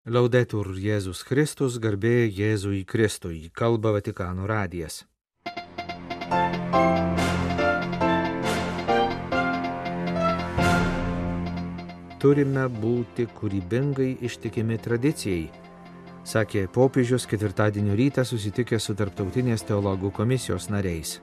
Laudetur Jėzus Kristus, garbė Jėzui Kristui, kalba Vatikano radijas. Turime būti kūrybingai ištikimi tradicijai, sakė popiežius ketvirtadienio rytą susitikęs su Tarptautinės teologų komisijos nariais.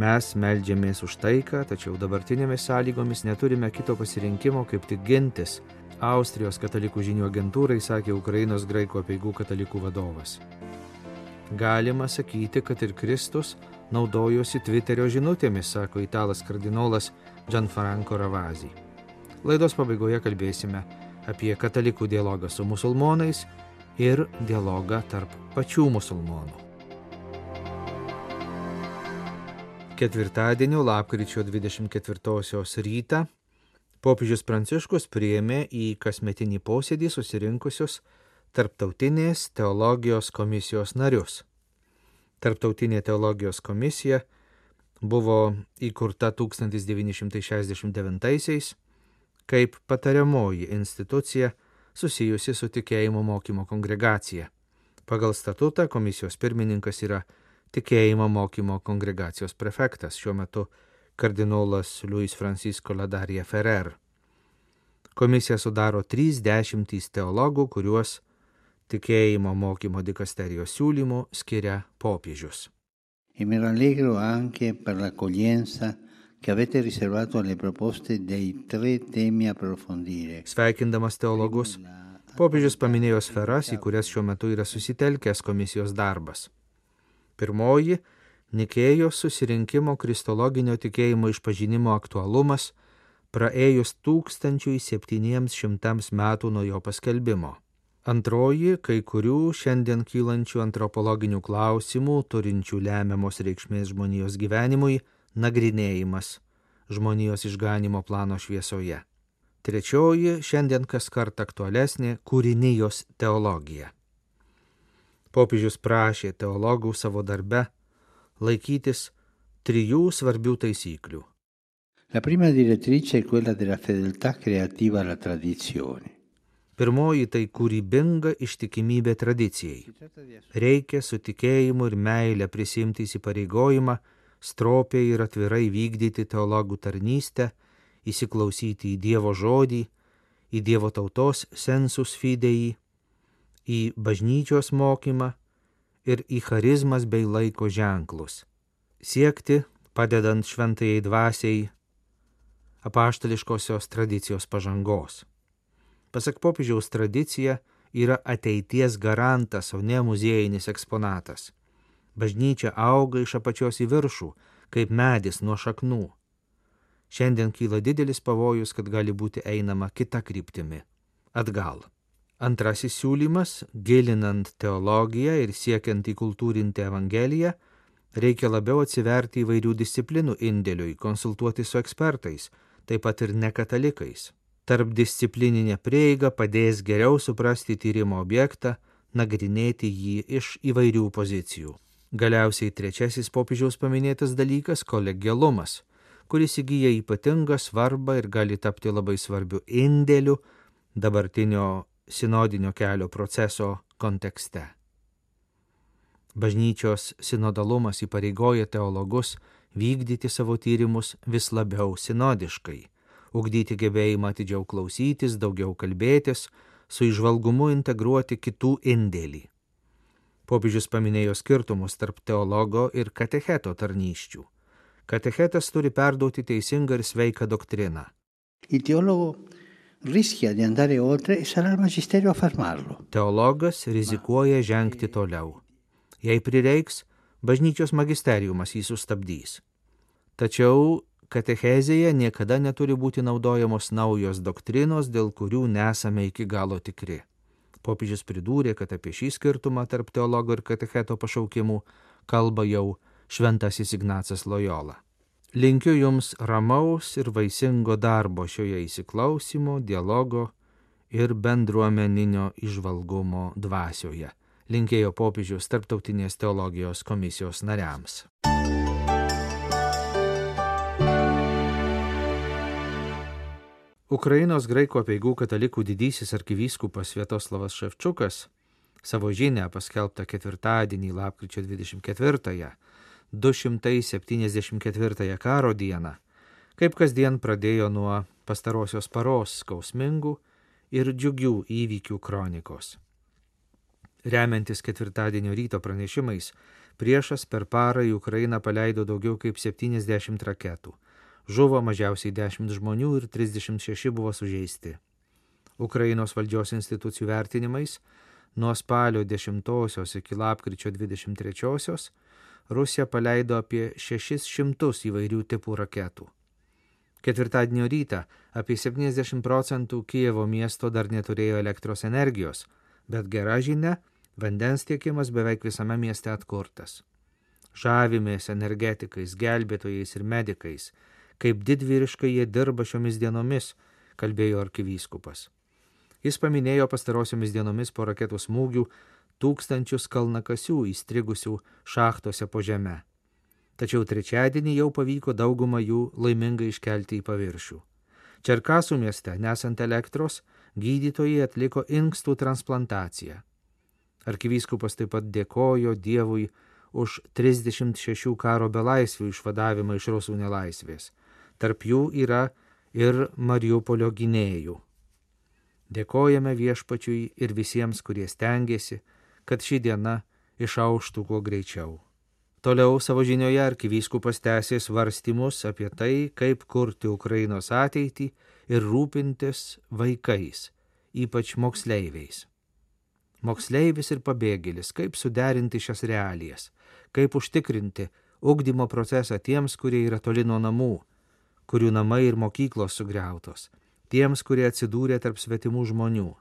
Mes meldžiamės už taiką, tačiau dabartinėmis sąlygomis neturime kito pasirinkimo, kaip tik gintis, Austrijos katalikų žinių agentūrai sakė Ukrainos graikų apeigų katalikų vadovas. Galima sakyti, kad ir Kristus naudojosi Twitterio žinutėmis, sako italas kardinolas Gianfranco Ravasi. Laidos pabaigoje kalbėsime apie katalikų dialogą su musulmonais ir dialogą tarp pačių musulmonų. Ketvirtadienio lapkričio 24 rytą popiežius Pranciškus priėmė į kasmetinį posėdį susirinkusius Tarptautinės teologijos komisijos narius. Tarptautinė teologijos komisija buvo įkurta 1969-aisiais kaip patariamoji institucija susijusi su tikėjimo mokymo kongregacija. Pagal statutą komisijos pirmininkas yra tikėjimo mokymo kongregacijos prefektas, šiuo metu kardinolas Luis Francisco Ladaria Ferrer. Komisiją sudaro 30 teologų, kuriuos tikėjimo mokymo dikasterijos siūlymų skiria popiežius. E mi rallegro anche per l'accoglienza che avete riservato alle proposte dei 3 temi approfondire. Sveikindamas teologus, popiežius paminėjo sferas, į kurias šiuo metu yra susitelkęs komisijos darbas. Pirmoji – Nikėjos susirinkimo kristologinio tikėjimo išpažinimo aktualumas praėjus 1700 metų nuo jo paskelbimo. Antroji – kai kurių šiandien kylančių antropologinių klausimų, turinčių lemiamos reikšmės žmonijos gyvenimui, nagrinėjimas žmonijos išganymo plano šviesoje. Trečioji – šiandien kaskart aktualesnė kūrinijos teologija. Popiežius prašė teologų savo darbe laikytis 3 svarbių taisyklių. La prima direttrice è quella della fedeltà creativa alla tradizione. Pirmoji tai kūrybinga ištikimybė tradicijai. Reikia su tikėjimu ir meile prisimti įsipareigojimą, stropiai ir atvirai vykdyti teologų tarnystę, įsiklausyti į Dievo žodį, į Dievo tautos sensus fidei, į bažnyčios mokymą ir į charizmas bei laiko ženklus. Siekti, padedant šventajai dvasiai, apaštališkosios tradicijos pažangos. Pasak popiežiaus, tradicija yra ateities garantas, o ne muziejinis eksponatas. Bažnyčia auga iš apačios į viršų, kaip medis nuo šaknų. Šiandien kyla didelis pavojus, kad gali būti einama kita kryptimi – atgal. Antrasis siūlymas, gilinant teologiją ir siekiant įkultūrinti Evangeliją, reikia labiau atsiverti įvairių disciplinų indėliui, konsultuoti su ekspertais, taip pat ir nekatalikais. Tarpdisciplininė prieiga padės geriau suprasti tyrimo objektą, nagrinėti jį iš įvairių pozicijų. Galiausiai trečiasis popiežiaus paminėtas dalykas – kolegialumas, kuris įgyja ypatingą svarbą ir gali tapti labai svarbiu indėliu dabartinio sinodinio kelio proceso kontekste. Bažnyčios sinodalumas įpareigoja teologus vykdyti savo tyrimus vis labiau sinodiškai, ugdyti gebėjimą atidžiau klausytis, daugiau kalbėtis, su įžvalgumu integruoti kitų indėlį. Popiežius paminėjo skirtumus tarp teologo ir katecheto tarnysčių. Katechetas turi perduoti teisingą ir sveiką doktriną. Il teologo rischia di andare oltre e sarà il magisterio a fermarlo. Teologas rizikuoja žengti toliau. Jei prireiks, bažnyčios magisteriumas jį sustabdys. Tačiau katechezėje niekada neturi būti naudojamos naujos doktrinos, dėl kurių nesame iki galo tikri. Popiežius pridūrė, kad apie šį skirtumą tarp teologo ir katecheto pašaukimų kalba jau šventasis Ignacas Lojola. Linkiu jums ramaus ir vaisingo darbo šioje įsiklausimo, dialogo ir bendruomeninio įžvalgumo dvasioje. Linkėjo popiežius Tarptautinės teologijos komisijos nariams. Ukrainos graikų apeigų katalikų didysis arkivyskupas Sviatoslavas Ševčiukas savo žinią paskelbtą ketvirtadienį lapkričio 24-ąją, 274 karo dieną, kaip kasdien pradėjo nuo pastarosios paros skausmingų ir džiugių įvykių kronikos. Remiantis ketvirtadienio ryto pranešimais, priešas per parą į Ukrainą paleido daugiau kaip 70 raketų. Žuvo mažiausiai 10 žmonių ir 36 buvo sužeisti. Ukrainos valdžios institucijų vertinimais, nuo spalio 10 iki lapkričio 23 Rusija paleido apie 600 įvairių tipų raketų. Ketvirtadienio rytą apie 70% Kijevo miesto dar neturėjo elektros energijos, bet gera žinia, vandens tiekimas beveik visame mieste atkurtas. Žavimės energetikais, gelbėtojais ir medikais, kaip didvyriškai jie dirba šiomis dienomis, kalbėjo arkivyskupas. Jis paminėjo pastarosiomis dienomis po raketų smūgių tūkstančius kalnakasių įstrigusių šachtose po žeme. Tačiau trečiadienį jau pavyko daugumą jų laimingai iškelti į paviršių. Čerkasų mieste, nesant elektros, gydytojai atliko inkstų transplantaciją. Arkivyskupas taip pat dėkojo Dievui už 36 karo belaisvių išvadavimą iš rusų nelaisvės. Tarp jų yra ir Mariupolio gynėjų. Dėkojame Viešpačiui ir visiems, kurie stengiasi, kad ši diena išauštų kuo greičiau. Toliau savo žinioje arkivyskupas tęsė svarstymus apie tai, kaip kurti Ukrainos ateitį ir rūpintis vaikais, ypač moksleiviais. Moksleivis ir pabėgėlis, kaip suderinti šias realijas, kaip užtikrinti ugdymo procesą tiems, kurie yra toli nuo namų, kurių namai ir mokyklos sugriautos, tiems, kurie atsidūrė tarp svetimų žmonių.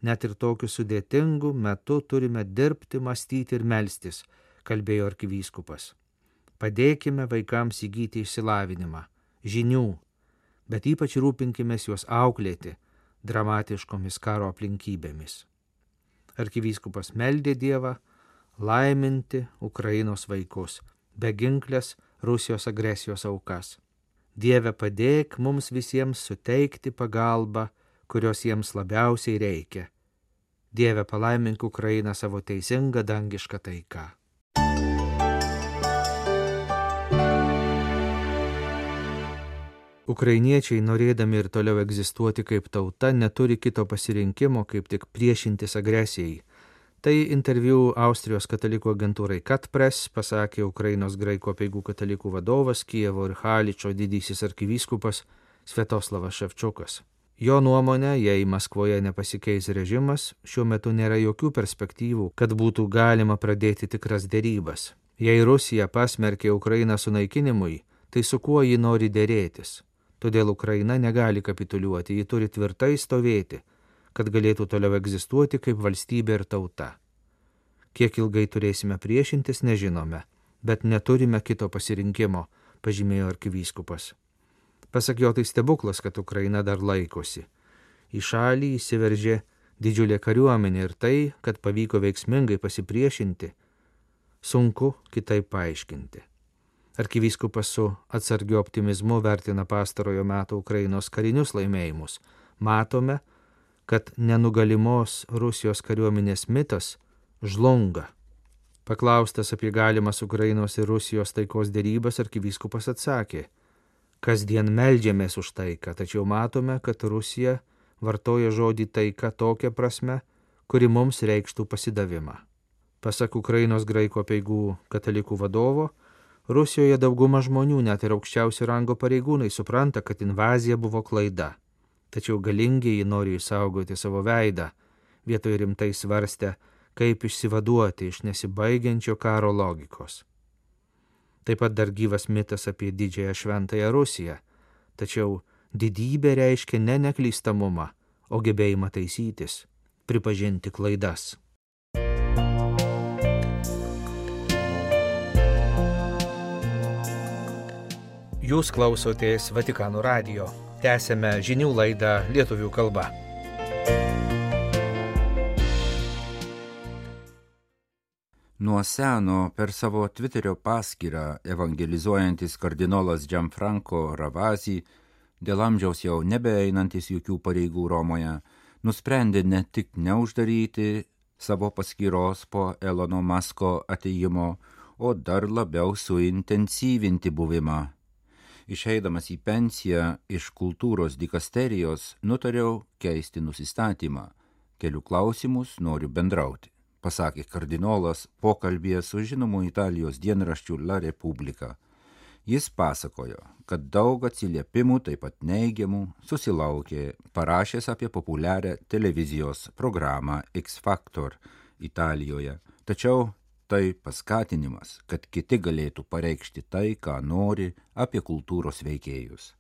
Net ir tokiu sudėtingu metu turime dirbti, mąstyti ir melstis, kalbėjo arkivyskupas. Padėkime vaikams įgyti išsilavinimą, žinių, bet ypač rūpinkimės juos auklėti dramatiškomis karo aplinkybėmis. Arkivyskupas meldė Dievą laiminti Ukrainos vaikus, beginklės Rusijos agresijos aukas. Dieve, padėk mums visiems suteikti pagalbą, kurios jiems labiausiai reikia. Dieve, palaimink Ukrainą savo teisingą dangišką taiką. Ukrainiečiai, norėdami ir toliau egzistuoti kaip tauta, neturi kito pasirinkimo, kaip tik priešintis agresijai. Tai interviu Austrijos katalikų agentūrai Katpress pasakė Ukrainos graikų apeigų katalikų vadovas, Kijevo ir Haličo didysis arkivyskupas Sviatoslavas Ševčiukas. Jo nuomonė, jei Maskvoje nepasikeis režimas, šiuo metu nėra jokių perspektyvų, kad būtų galima pradėti tikras derybas. Jei Rusija pasmerkė Ukrainą sunaikinimui, tai su kuo ji nori dėrėtis? Todėl Ukraina negali kapituliuoti, ji turi tvirtai stovėti, kad galėtų toliau egzistuoti kaip valstybė ir tauta. Kiek ilgai turėsime priešintis, nežinome, bet neturime kito pasirinkimo, pažymėjo arkivyskupas. Pasak jo, tai stebuklas, kad Ukraina dar laikosi. Į šalį įsiveržė didžiulė kariuomenė ir tai, kad pavyko veiksmingai pasipriešinti, sunku kitaip paaiškinti. Arkivyskupas su atsargiu optimizmu vertina pastarojo meto Ukrainos karinius laimėjimus. Matome, kad nenugalimos Rusijos kariuomenės mitas žlunga. Paklaustas apie galimas Ukrainos ir Rusijos taikos derybas, arkivyskupas atsakė: kasdien meldžiamės už taiką, tačiau matome, kad Rusija vartoja žodį taika tokia prasme, kuri mums reikštų pasidavimą. Pasak Ukrainos graikų apeigų katalikų vadovo, Rusijoje dauguma žmonių, net ir aukščiausio rango pareigūnai, supranta, kad invazija buvo klaida. Tačiau galingieji nori išsaugoti savo veidą, vietoj rimtai svarstę, kaip išsivaduoti iš nesibaigiančio karo logikos. Taip pat dar gyvas mitas apie didžiąją šventąją Rusiją, tačiau didybė reiškia ne neklystamumą, o gebėjimą taisytis, pripažinti klaidas. Jūs klausotės Vatikano radijo. Tęsėme žinių laidą lietuvių kalba. Nuo seno per savo Twitterio paskyrą evangelizuojantis kardinolas Gianfranco Ravasi dėl amžiaus jau nebeeinantis jokių pareigų Romoje, nusprendė ne tik neuždaryti savo paskyros po Elono Musko atėjimo, o dar labiau suintensyvinti buvimą. Išeidamas į pensiją iš kultūros dikasterijos, nutariau keisti nusistatymą. Kelių klausimus noriu bendrauti, pasakė kardinolas pokalbyje su žinomu Italijos dienraščiu La Repubblica. Jis pasakojo, kad daug atsiliepimų, taip pat neigiamų, susilaukė parašęs apie populiarią televizijos programą X Factor Italijoje. Tačiau tai paskatinimas, kad kiti galėtų pareikšti tai, ką nori apie kultūros veikėjus.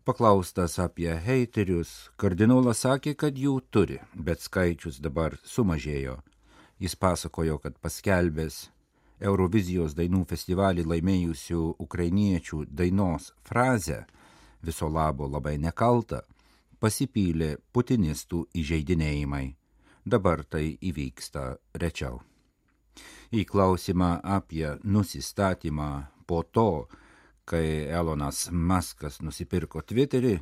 Paklaustas apie heiterius, kardinolas sakė, kad jų turi, bet skaičius dabar sumažėjo. Jis pasakojo, kad paskelbęs Eurovizijos dainų festivalį laimėjusių ukrainiečių dainos frazę "viso labo labai nekalta" pasipylė putinistų įžeidinėjimai. Dabar tai įvyksta rečiau. Į klausimą apie nusistatymą po to, kai Elonas Muskas nusipirko Twitterį,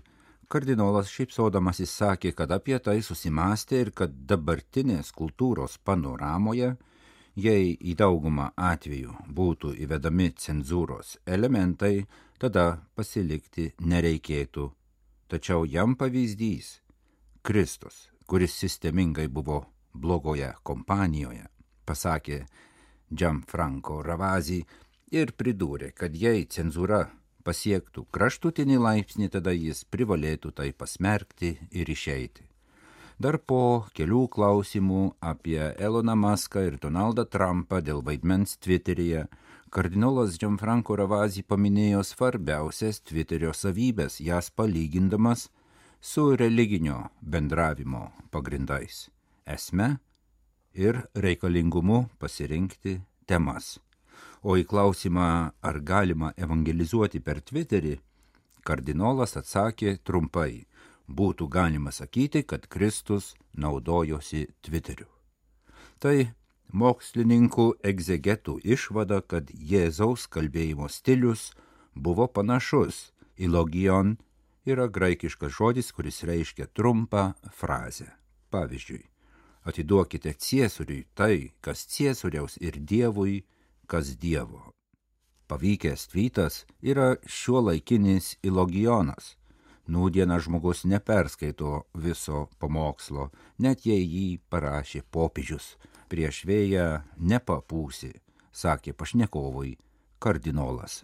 kardinolas šypsodamasis sakė, kad apie tai susimąstė ir kad dabartinės kultūros panoramoje, jei į daugumą atvejų būtų įvedami cenzūros elementai, tada pasilikti nereikėtų. Tačiau jam pavyzdys – Kristus, kuris sistemingai buvo blogoje kompanijoje, pasakė Gianfranco Ravasi ir pridūrė, kad jei cenzūra pasiektų kraštutinį laipsnį, tada jis privalėtų tai pasmerkti ir išeiti. Dar po kelių klausimų apie Eloną Muską ir Donaldą Trumpą dėl vaidmens Twitteryje, kardinolas Gianfranco Ravasi paminėjo svarbiausias Twitterio savybės, jas palygindamas su religinio bendravimo pagrindais, esme ir reikalingumu pasirinkti temas. O į klausimą, ar galima evangelizuoti per Twitterį, kardinolas atsakė trumpai: būtų galima sakyti, kad Kristus naudojosi Twitteriu. Tai mokslininkų egzegetų išvada, kad Jėzaus kalbėjimo stilius buvo panašus į logion, yra graikiškas žodis, kuris reiškia trumpą frazę. Pavyzdžiui, atiduokite Ciesoriui tai, kas Ciesoriaus, ir Dievui, kas Dievo. Pavykęs tvytas yra šiuolaikinis ilogionas. Nūdieną žmogus neperskaito viso pamokslo, net jei jį parašė popiežius. Prieš vėją nepapūsi, sakė pašnekovui kardinolas.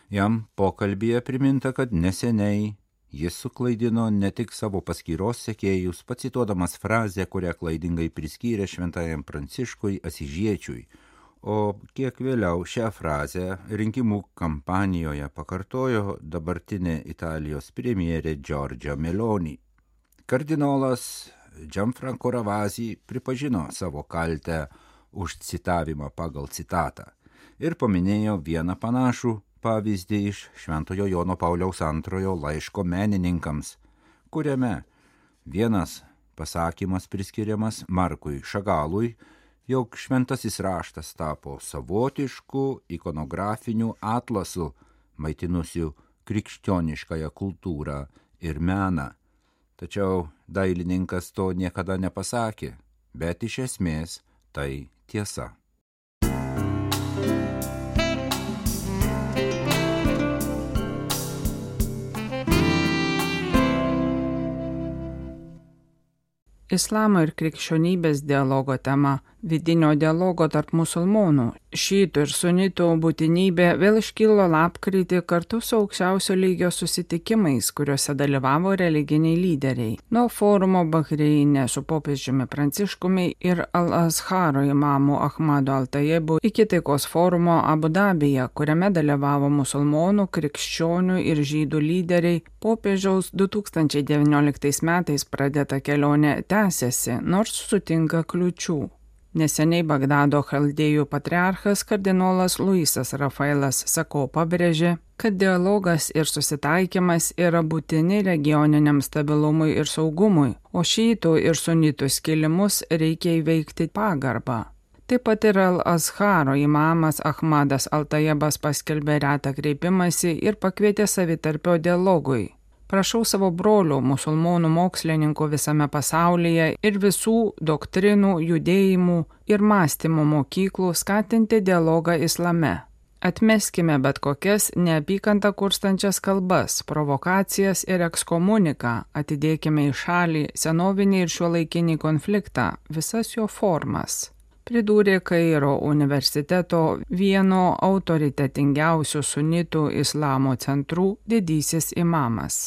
Jam pokalbyje priminta, kad neseniai jis suklaidino ne tik savo paskyros sekėjus, pacituodamas frazę, kurią klaidingai priskyrė šventajam Pranciškui Asyžiečiui, o kiek vėliau šią frazę rinkimų kampanijoje pakartojo dabartinė Italijos premjerė Giorgia Meloni. Kardinolas Gianfranco Ravasi pripažino savo kaltę už citavimą pagal citatą ir paminėjo vieną panašų pavyzdį iš Šventojo Jono Pauliaus II laiško menininkams, kuriame vienas pasakymas priskiriamas Markui Šagalui, jog šventasis raštas tapo savotišku ikonografiniu atlasu, maitinusiu krikščioniškąją kultūrą ir meną. Tačiau dailininkas to niekada nepasakė, bet iš esmės tai tiesa. Islamo ir krikščionybės dialogo tema – vidinio dialogo tarp musulmonų, šytų ir sunitų būtinybė vėl iškilo lapkritį kartu su aukščiausio lygio susitikimais, kuriuose dalyvavo religiniai lyderiai. Nuo forumo Bahreine su popiežiumi Pranciškumi ir Al-Azharo imamu Ahmadu Al-Tayebu iki taikos forumo Abu Dabyje, kuriame dalyvavo musulmonų, krikščionių ir žydų lyderiai, popiežiaus 2019 metais pradėta kelionė tęsiasi, nors sutinka kliūčių. Neseniai Bagdado chaldėjų patriarchas kardinolas Luisas Rafaelas Sako pabrėžė, kad dialogas ir susitaikymas yra būtini regioniniam stabilumui ir saugumui, o šytų ir sunitų skilimus reikia įveikti pagarbą. Taip pat ir Al-Azharo imamas Ahmadas Al-Tayebas paskelbė retą kreipimąsi ir pakvietė savitarpio dialogui. Prašau savo brolių musulmonų mokslininkų visame pasaulyje ir visų doktrinų, judėjimų ir mąstymo mokyklų skatinti dialogą islame. Atmeskime bet kokias neapykantą kurstančias kalbas, provokacijas ir ekskomuniką, atidėkime į šalį senovinį ir šiuolaikinį konfliktą, visas jo formas. Pridūrė Kairo universiteto vieno autoritetingiausių sunitų islamo centrų didysis imamas.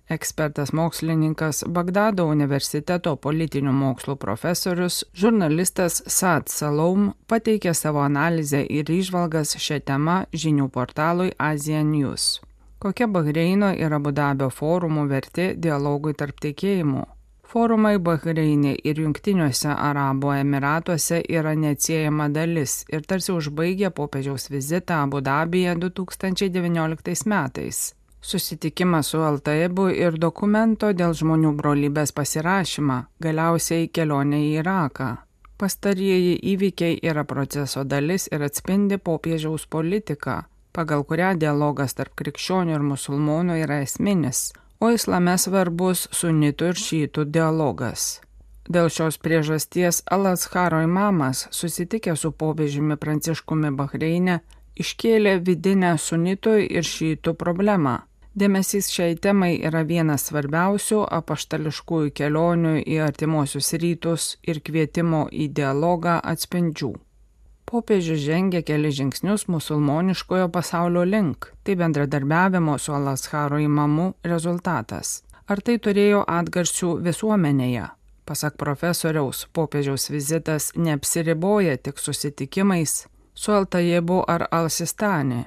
Ekspertas mokslininkas, Bagdado universiteto politinių mokslų profesorius, žurnalistas Saad Salom pateikė savo analizę ir įžvalgas šią temą žinių portalui Asia News. Kokia Bahreino ir Abu Dabio forumų vertė dialogui tarp tikėjimų? Forumai Bahreine ir Jungtiniuose Arabų Emiratuose yra neatsiejama dalis ir tarsi užbaigė popiežiaus vizitą Abu Dabyje 2019 metais. Susitikimas su Altaibu ir dokumento dėl žmonių brolybės pasirašymą, galiausiai kelionė į Iraką. Pastarieji įvykiai yra proceso dalis ir atspindi popiežiaus politiką, pagal kurią dialogas tarp krikščionių ir musulmonų yra esminis, o islame svarbus sunitų ir šytų dialogas. Dėl šios priežasties Al-Azharo imamas, susitikęs su popiežiumi Pranciškumi Bahreine, iškėlė vidinę sunitų ir šytų problemą. Dėmesys šiai temai yra vienas svarbiausių apaštališkųjų kelionių į artimuosius rytus ir kvietimo į dialogą atspindžių. Popiežius žengė keli žingsnius musulmoniškojo pasaulio link, tai bendradarbiavimo su Al-Azharo imamu rezultatas. Ar tai turėjo atgarsių visuomenėje? Pasak profesoriaus, popiežiaus vizitas neapsiriboja tik susitikimais su Altaibu ar Al-Sistani.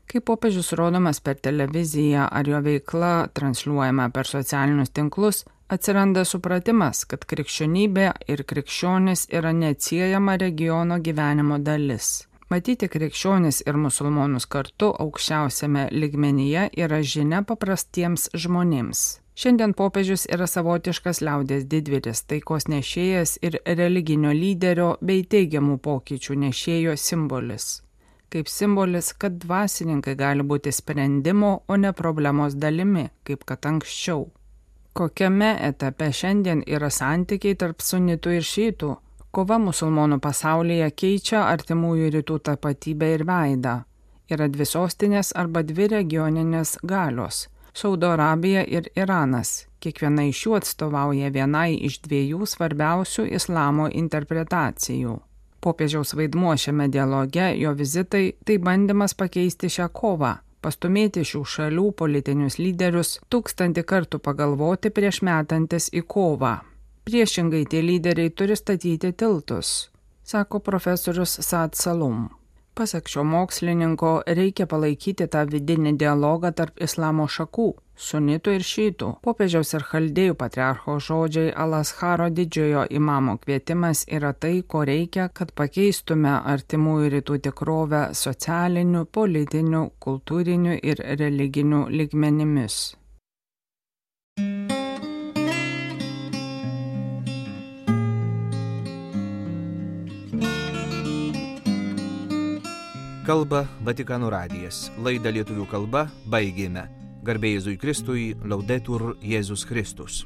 Kai popiežius rodomas per televiziją ar jo veikla transliuojama per socialinius tinklus, atsiranda supratimas, kad krikščionybė ir krikščionis yra neatsiejama regiono gyvenimo dalis. Matyti krikščionis ir musulmonus kartu aukščiausiame lygmenyje yra žinia paprastiems žmonėms. Šiandien popiežius yra savotiškas liaudies didvyris, taikos nešėjas ir religinio lyderio bei teigiamų pokyčių nešėjo simbolis. Kaip simbolis, kad dvasininkai gali būti sprendimo, o ne problemos dalimi, kaip kad anksčiau. Kokiame etape šiandien yra santykiai tarp sunitų ir šytų? Kova musulmonų pasaulyje keičia artimųjų rytų tapatybę ir veidą. Yra dvi sostinės arba dvi regioninės galios – Saudo Arabija ir Iranas. Kiekviena iš jų atstovauja vienai iš dviejų svarbiausių islamo interpretacijų. Popiežiaus vaidmuo šiame dialoge, jo vizitai, tai bandymas pakeisti šią kovą, pastumėti šių šalių politinius lyderius 1000 kartų pagalvoti prieš metantis į kovą. Priešingai tie lyderiai turi statyti tiltus, sako profesorius Saad Salom. Pasak šio mokslininko, reikia palaikyti tą vidinį dialogą tarp islamo šakų, sunitų ir šytų. Popiežiaus ir chaldėjų patriarcho žodžiai Al-Azharo didžiojo imamo kvietimas yra tai, ko reikia, kad pakeistume artimųjų rytų tikrovę socialiniu, politiniu, kultūriniu ir religiniu lygmenimis. Kalba Vatikano radijas. Laidą lietuvių kalba baigėme. Garbė Jėzui Kristui, Laudetur Jėzus Kristus.